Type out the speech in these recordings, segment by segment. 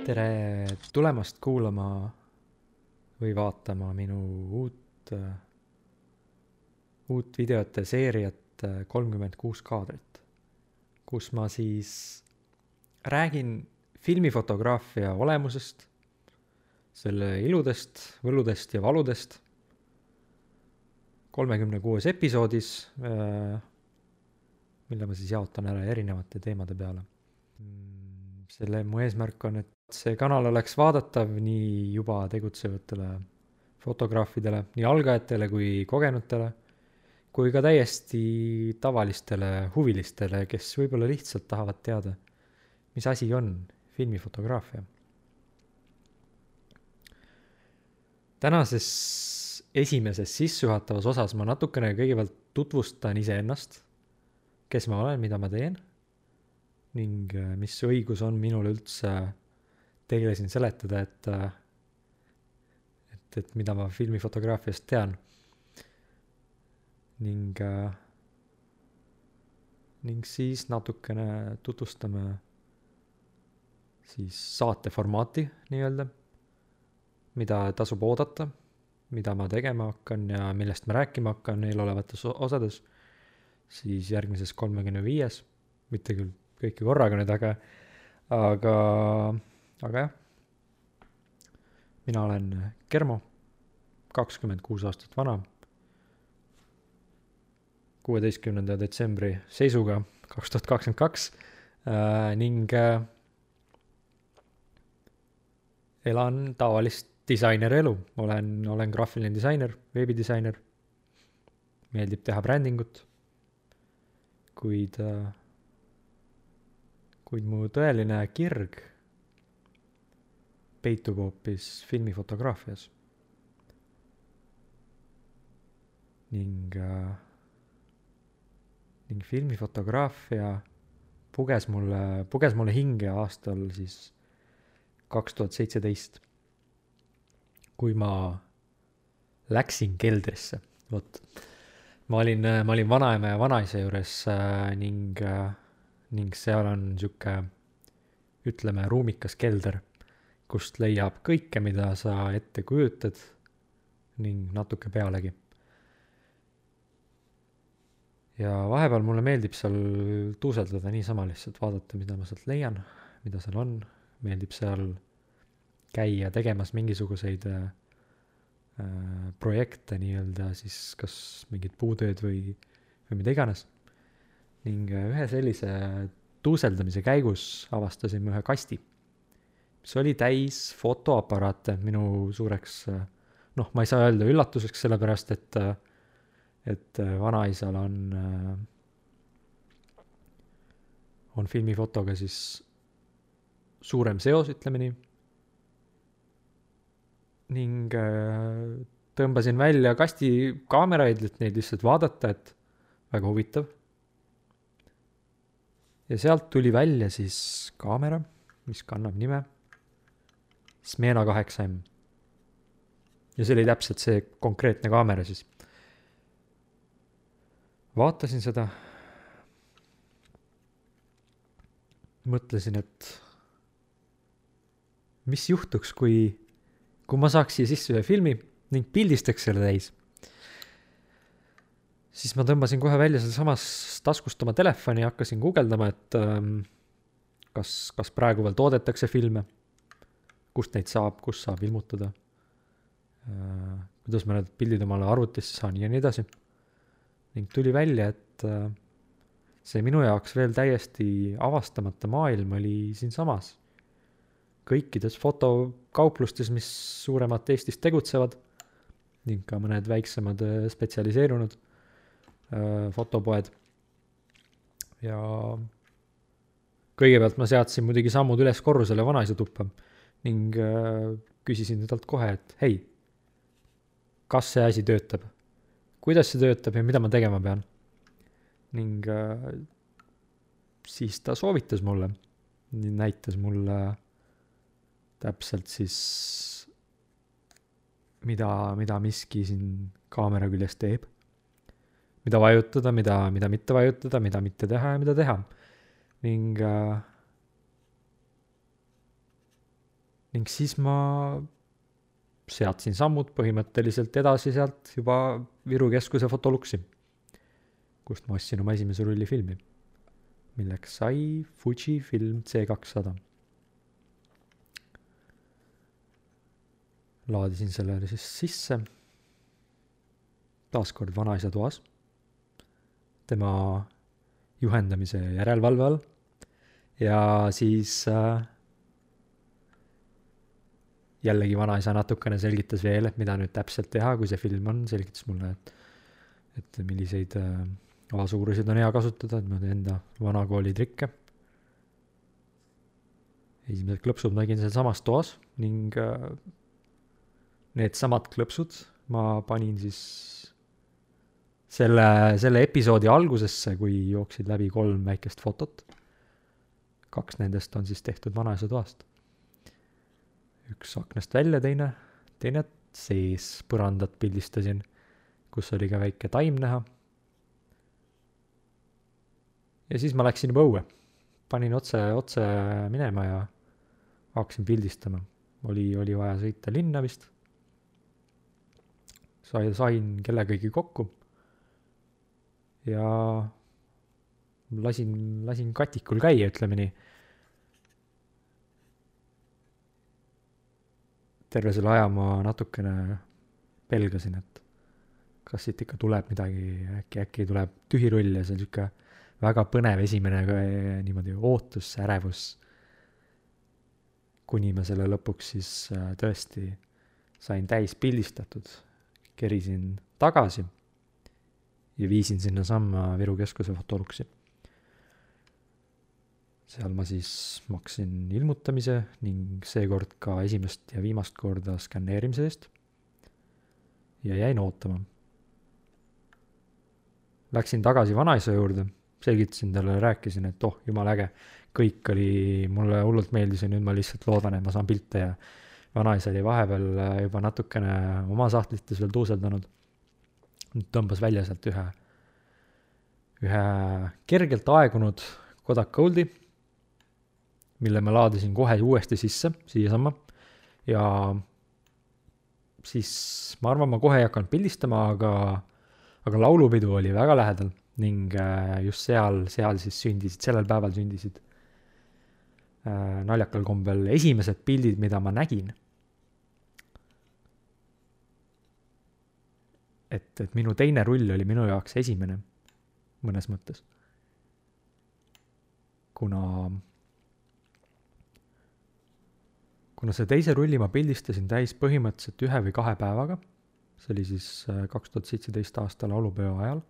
Tere tulemast kuulama või vaatama minu uut videote seeriat 36 kaadrit, kus ma siis räägin filmifotograafia olemusest, selle iludest, võludest ja valudest 36 episoodis, mille ma siis jaotan ära erinevate teemade peale. Selle mu eesmärk on, et see kanal oleks vaadatav nii juba tegutsevatele fotograafidele, nii algajatele kui kogenutele, kui ka täiesti tavalistele huvilistele, kes võib-olla lihtsalt tahavad teada, mis asi on filmifotograafia. Tänases esimeses sissejuhatavas osas ma natukene kõigepealt tutvustan iseennast, kes ma olen, mida ma teen, ning mis õigus on minul üldse teile siin seletada, et mida ma filmifotograafiast tean. Ning siis natukene tutvustame siis saate formaati nii-öelda, mida tasub oodata, mida ma tegema hakkan ja millest ma rääkima hakkan eelolevates osades, siis järgmises 35, mitte küll kõike korraga nüüd, aga jah. Mina olen Kermo, 26 aastat vana, 16. detsembri seisuga 2022 ning elan tavalist disainerelu. Olen graafiline disainer, veebidisainer, meeldib teha brändingut, kuid mu tõeline kirg peitub hoopis filmifotograafias. Ning filmifotograafia puges mulle hinge aastal siis 2017, kui ma läksin keldrisse. Ma olin vanaema ja vanaisa juures ning seal on sihuke, ütleme, ruumikas kelder, kust leiab kõike, mida sa ette kujutad ning natuke pealegi. Ja vahepeal mulle meeldib seal tuuseldada niisama lihtsalt, vaadata, mida ma sealt leian, mida seal on. Meeldib seal käia tegemas mingisuguseid projekte nii-öelda, siis kas mingid puutööd või mida iganes. Ning ühe sellise tuuseldamise käigus avastasime ühe kasti, mis oli täis fotoaparaate minu suureks, ma ei saa öelda üllatuseks, sellepärast et vanaisal on filmifotoga siis suurem seos, ütleme nii. Ning tõmbasin välja kasti kaameraid, et neid lihtsalt vaadata, et väga huvitav. Ja sealt tuli välja siis kaamera, mis kannab nime Smena 8M. Ja see oli täpselt see konkreetne kaamera siis. Vaatasin seda, mõtlesin, et mis juhtuks, kui ma saaks siia sisse ühe filmi ning pildistaks selle täis. Siis ma tõmbasin kohe välja selle samas taskust oma telefoni ja hakkasin guugeldama, et kas praegu veel toodetakse filme, kust neid saab, kus saab ilmutada, kuidas ma need pildid omale arvutisse saan ja nii edasi. Ning tuli välja, et see minu jaoks veel täiesti avastamata maailm oli siin samas. Kõikides fotokauplustes, mis suuremad Eestis tegutsevad, ning ka mõned väiksemad spetsialiseerunud fotopoed. Ja kõigepealt ma seadsin muidugi sammud üles korrusele vanaisa tuppa ning küsisin talt kohe, et hei, kas see asi töötab? Kuidas see töötab ja mida ma tegema pean? Ning siis ta soovitas mulle, näitas mulle täpselt siis, mida miski siin kaamera küljes teeb, mida vajutada, mida mitte vajutada, mida mitte teha ja mida teha. ning siis ma seadsin sammud põhimõtteliselt edasi sealt juba Viru Keskuse fotoluksi, kust ma ostsin oma esimese rullifilmi, milleks sai Fuji film C200. Laadisin selle siis sisse, taaskord vanaisa toas, tema juhendamise järelevalve all, ja siis jällegi vanaisa natukene selgitas veel, et mida nüüd täpselt teha, kui see film on, selgitas mulle, et milliseid A-suurusid on hea kasutada, et ma teen enda vanakooli trikke. Esimesed klõpsud nägin seal samas toas ning need samad klõpsud ma panin siis selle episoodi algusesse, kui jooksid läbi 3 väikest fotot. 2 nendest on siis tehtud vanaisa toast. Üks aknast välja, teine sees põrandat pildistasin, kus oli ka väike taim näha. Ja siis ma läksin juba õue. Panin otse minema ja hakkasin pildistama. Oli vaja sõita linna vist. Sain kellegagi kokku. Ja lasin katikul käia, ütleme nii. Terve selle aja ma natukene pelgasin, et kas siit ikka tuleb midagi, äkki tuleb tühirull ja see on siuke väga põnev esimene niimoodi ootus, ärevus, kuni ma selle lõpuks siis tõesti sain täis pildistatud, kerisin tagasi ja viisin sinna samma Viru Keskuse fotoluksi. Seal ma siis maksin ilmutamise ning seekord ka esimest ja viimast korda skanneerimise eest ja jäin ootama. Läksin tagasi vanaisa juurde, selgitasin talle, rääkisin, et jumal äge, kõik oli, mulle hullult meeldis ja nüüd ma lihtsalt loodan, et ma saan pilte ja vanaisa oli vahepeal juba natukene oma sahtlites veel tuuseldanud. Nüüd tõmbas välja sealt ühe kergelt aegunud Kodak Goldi, mille ma laadisin kohe uuesti sisse, siia samma. Ja siis ma arvan, ma kohe ei hakanud pildistama, aga laulupidu oli väga lähedal ning just seal siis sellel päeval sündisid naljakal kombel esimesed pildid, mida ma nägin. Et minu teine rull oli minu jaoks esimene mõnes mõttes. Kuna see teise rulli ma pildistasin täis põhimõtteliselt 1 või 2 päevaga, see oli siis 2017 aasta laulupeo ajal,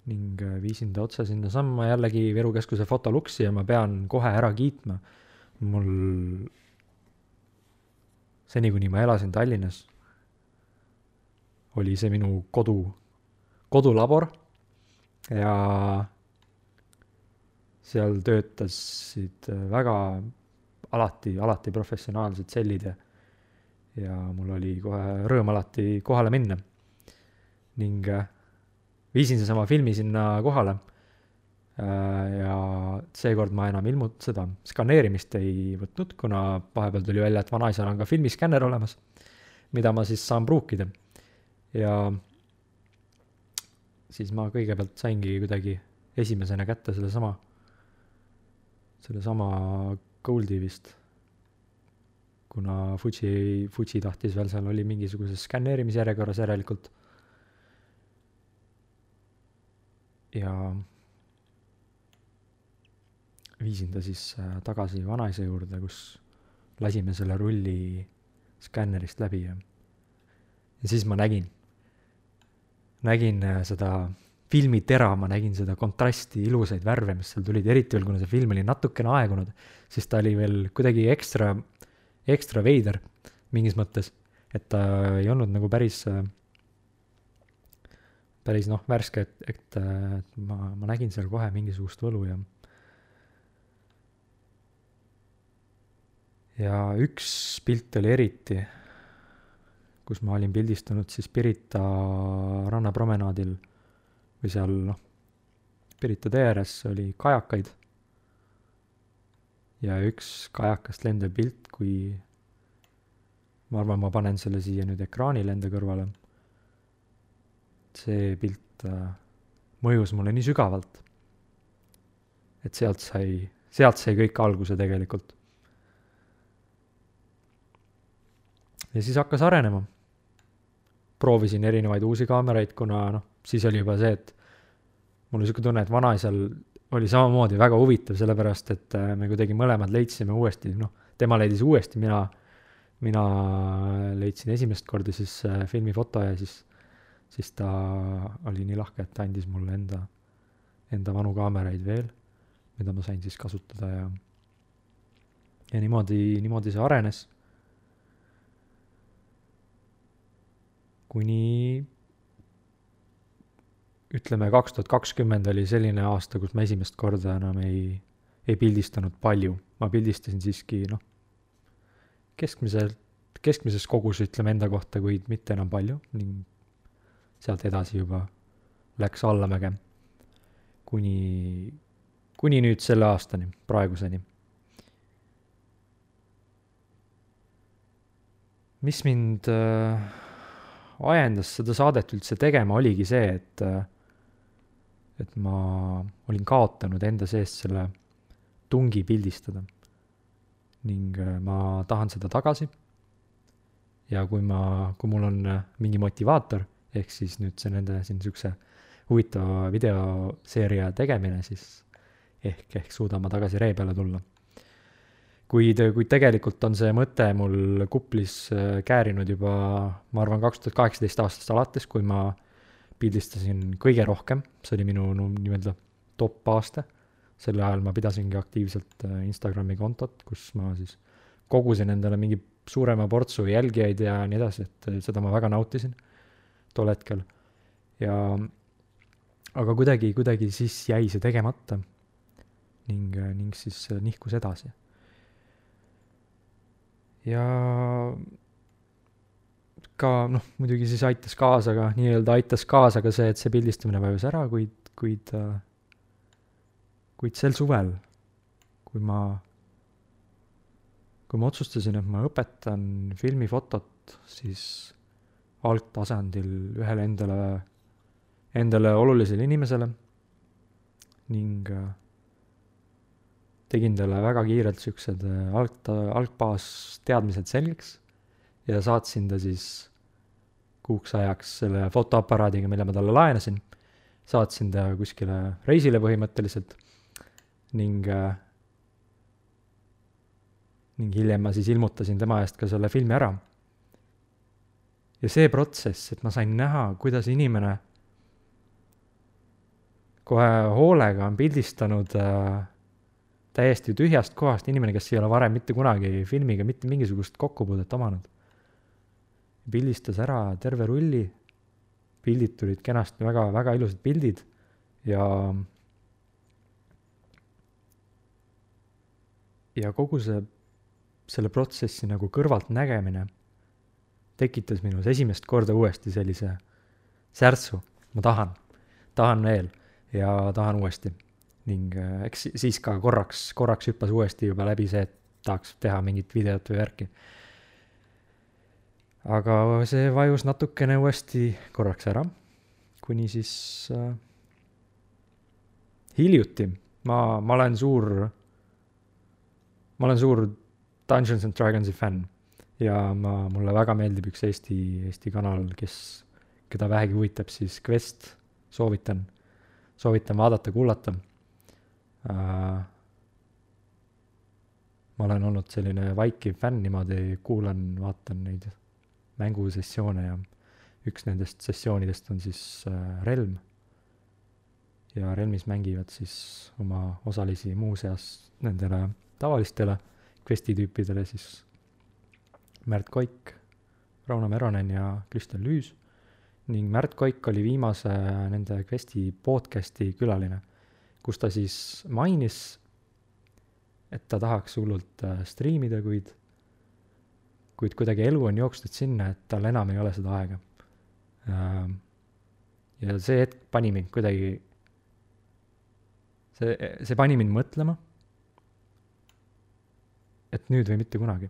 ning viisin ta otse sinna samma jällegi Viru Keskuse fotoluksi ja ma pean kohe ära kiitma. Mul seni, kuni ma elasin Tallinnas, oli see minu kodulabor ja seal töötasid väga alati professionaalsed sellid ja mul oli kohe rõõm alati kohale minna. Ning viisin seesama filmi sinna kohale ja seekord ma enam seda skaneerimist ei võtnud, kuna vahepeal tuli välja, et vanaisal on ka filmiskänner olemas, mida ma siis saan pruukida. Ja siis ma kõigepealt saingi kuidagi esimesena kätte sellesama Goldi vist, kuna Fuji tahtis veel, seal oli mingisuguses skanneerimisjärjekorras järelikult. Ja viisin ta siis tagasi vanaisa juurde, kus lasime selle rulli skännerist läbi ja siis ma nägin seda filmitera, ma nägin seda kontrasti, ilusaid värve, mis seal tulid, eriti veel, kuna see film oli natukene aegunud, siis ta oli veel kuidagi ekstra veider mingis mõttes, et ta ei olnud nagu päris värske, et ma nägin seal kohe mingisugust võlu ja üks pilt oli eriti, kus ma olin pildistanud siis Pirita rannapromenaadil või seal Pirita tee ääres oli kajakaid ja üks kajakast lendav pilt, kui ma arvan, ma panen selle siia nüüd ekraanile enda kõrvale. See pilt mõjus mulle nii sügavalt, et sealt sai kõik alguse tegelikult. Ja siis hakkas arenema. Proovisin erinevaid uusi kaameraid, kuna siis oli juba see, et mul oli siuke tunne, et vanaisal oli samamoodi väga huvitav, sellepärast et me kuidagi mõlemad leidsime uuesti, tema leidis uuesti, mina leidsin esimest korda siis filmifoto ja siis ta oli nii lahke, et ta andis mulle enda vanu kaameraid veel, mida ma sain siis kasutada ja niimoodi see arenes. Kuni ütleme 2020 oli selline aasta, kus ma esimest korda enam ei pildistanud palju. Ma pildistasin siiski keskmises kogus ütleme enda kohta, kuid mitte enam palju ning sealt edasi juba läks allamäge kuni nüüd selle aastani, praeguseni. Mis mind ajendas seda saadet üldse tegema oligi see, et ma olin kaotanud enda seest selle tungi pildistada ning ma tahan seda tagasi ja kui mul on mingi motivaator, ehk siis nüüd see nende siin niisuguse huvitava videoseeria tegemine, siis ehk suudan ma tagasi ree peale tulla. Kuid tegelikult on see mõte mul kuplis käärinud juba, ma arvan, 2018 aastast alates, kui ma pildistasin kõige rohkem. See oli minu nii-öelda top aasta. Selle ajal ma pidasingi aktiivselt Instagrami kontot, kus ma siis kogusin endale mingi suurema portsu jälgijaid ja nii edasi, et seda ma väga nautisin tol hetkel. Aga kuidagi siis jäi see tegemata ning siis nihkus edasi. Ja ka muidugi siis aitas kaasa ka see, et see pildistamine vajus ära, kuid sel suvel, kui ma otsustasin, et ma õpetan filmifotot, siis algtasandil ühele endale olulisele inimesele ning tegin talle väga kiirelt siuksed algbaas teadmised selgeks ja saatsin ta siis kuuks ajaks selle fotoaparaadiga, mille ma talle laenasin. Saatsin ta kuskile reisile põhimõtteliselt ning hiljem ma siis ilmutasin tema eest ka selle filmi ära. Ja see protsess, et ma sain näha, kuidas inimene kohe hoolega on pildistanud täiesti tühjast kohast inimene, kes ei ole varem mitte kunagi filmiga mitte mingisugust kokkupuudet omanud. Pildistas ära terve rulli, pildid tulid kenasti, väga, väga ilusad pildid ja kogu selle protsessi nagu kõrvalt nägemine tekitas minus esimest korda uuesti sellise särtsu. Ma tahan veel ja tahan uuesti. Ning eks siis ka korraks hüppas uuesti juba läbi see, et tahaks teha mingit videot või värki. Aga see vajus natukene uuesti korraks ära, kuni siis hiljuti. Ma olen suur Dungeons and Dragonsi fänn ja mulle väga meeldib üks Eesti kanal, keda vähegi huvitab, siis Quest, soovitan vaadata, kuulata. Ma olen olnud selline vaikiv fänn, niimoodi kuulan, vaatan neid mängusessioone ja üks nendest sessioonidest on siis Relm. Ja Relmis mängivad siis oma osalisi muuseas nendele tavalistele Questi tüüpidele siis Märt Koik, Rauno Meronen ja Kristel Lüüs ning Märt Koik oli viimase nende Questi podcasti külaline, kus ta siis mainis, et ta tahaks hullult striimida, kuid kuidagi elu on jooksnud sinna, et tal enam ei ole seda aega. ja see hetk pani mind kuidagi, see pani mind mõtlema, et nüüd või mitte kunagi.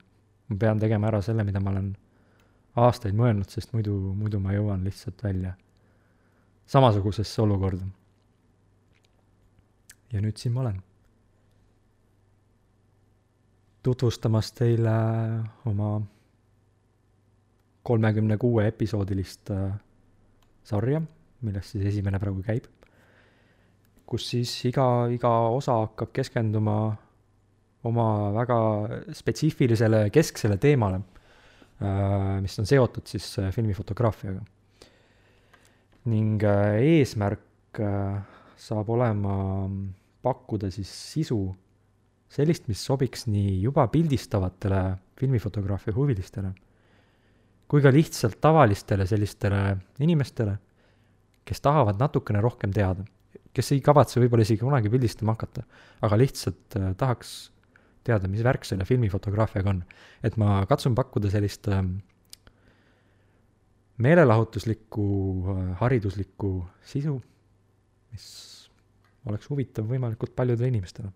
Ma pean tegema ära selle, mida ma olen aastaid mõelnud, sest muidu ma jõuan lihtsalt välja samasugusesse olukorda. Ja nüüd siin ma olen. Tutvustamas teile oma 36 episoodilist sarja, millest siis esimene praegu käib, kus siis iga osa hakkab keskenduma oma väga spetsiifilisele kesksele teemale, mis on seotud siis filmifotograafiaga. Ning eesmärk saab olema pakkuda siis sisu sellist, mis sobiks nii juba pildistavatele filmifotograafia huvilistele, kui ka lihtsalt tavalistele sellistele inimestele, kes tahavad natukene rohkem teada, kes ei kavatse võib-olla isegi kunagi pildistama hakata, aga lihtsalt tahaks teada, mis värk selle filmifotograafiaga on. Et ma katsun pakkuda sellist meelelahutuslikku, hariduslikku sisu, mis oleks huvitav võimalikult paljudele inimestele.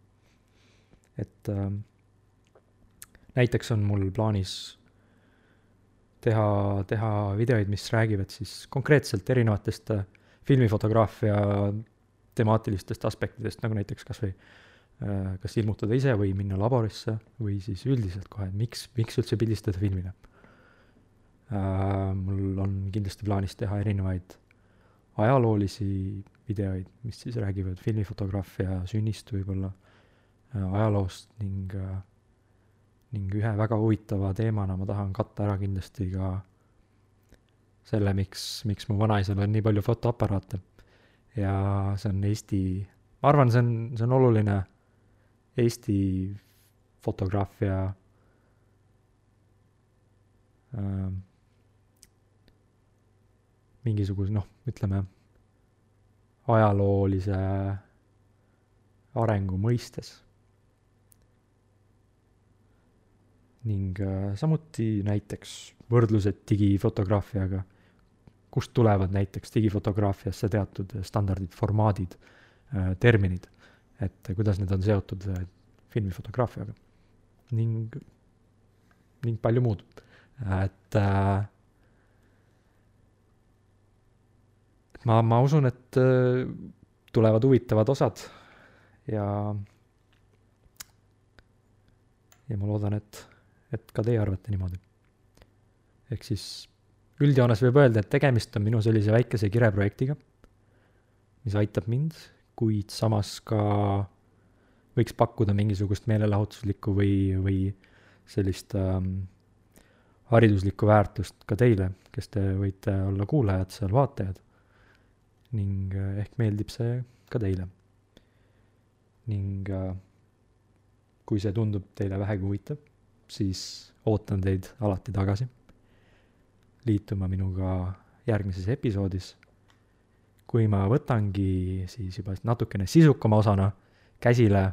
Et näiteks on mul plaanis teha videoid, mis räägivad siis konkreetselt erinevatest filmifotograafia temaatilistest aspektidest, nagu näiteks kas ilmutada ise või minna laborisse või siis üldiselt kohe, miks üldse pildistada filmile. Mul on kindlasti plaanis teha erinevaid ajaloolisi videoid, mis siis räägivad filmifotograafia sünnist võib-olla ajaloost ning ühe väga huvitava teemana ma tahan katta ära kindlasti ka selle, miks mu vanaisal on nii palju fotoaparaate. Ja see on ma arvan, see on oluline Eesti fotograafia mingisuguse, ütleme, ajaloolise arengu mõistes. Ning samuti näiteks võrdlused digifotograafiaga, kust tulevad näiteks digifotograafiasse teatud standardid, formaadid, terminid, et kuidas need on seotud filmifotograafiaga ning palju muud. Et ma usun, et tulevad huvitavad osad ja ma loodan, et ka teie arvate niimoodi. Ehk siis üldjoones võib öelda, et tegemist on minu sellise väikese kireprojektiga, mis aitab mind, kuid samas ka võiks pakkuda mingisugust meelelahutuslikku või sellist hariduslikku väärtust ka teile, kes te võite olla kuulajad, seal vaatajad. Ning ehk meeldib see ka teile. Ning kui see tundub teile vähegi huvitav, siis ootan teid alati tagasi liituma minuga järgmises episoodis, kui ma võtangi siis juba natukene sisukama osana käsile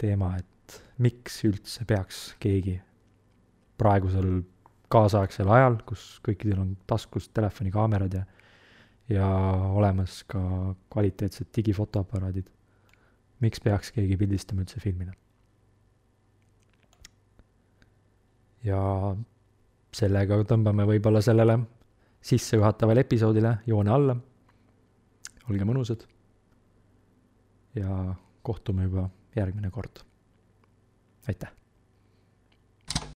teema, et miks üldse peaks keegi praegusel kaasaegsel ajal, kus kõikidel on taskus telefonikaamerad ja olemas ka kvaliteetsed digifotoaparaadid, miks peaks keegi pildistama üldse filmina. Ja sellega tõmbame võib-olla sellele sissejuhatavale episoodile joone alla. Olge mõnusad ja kohtume juba järgmine kord. Aitäh!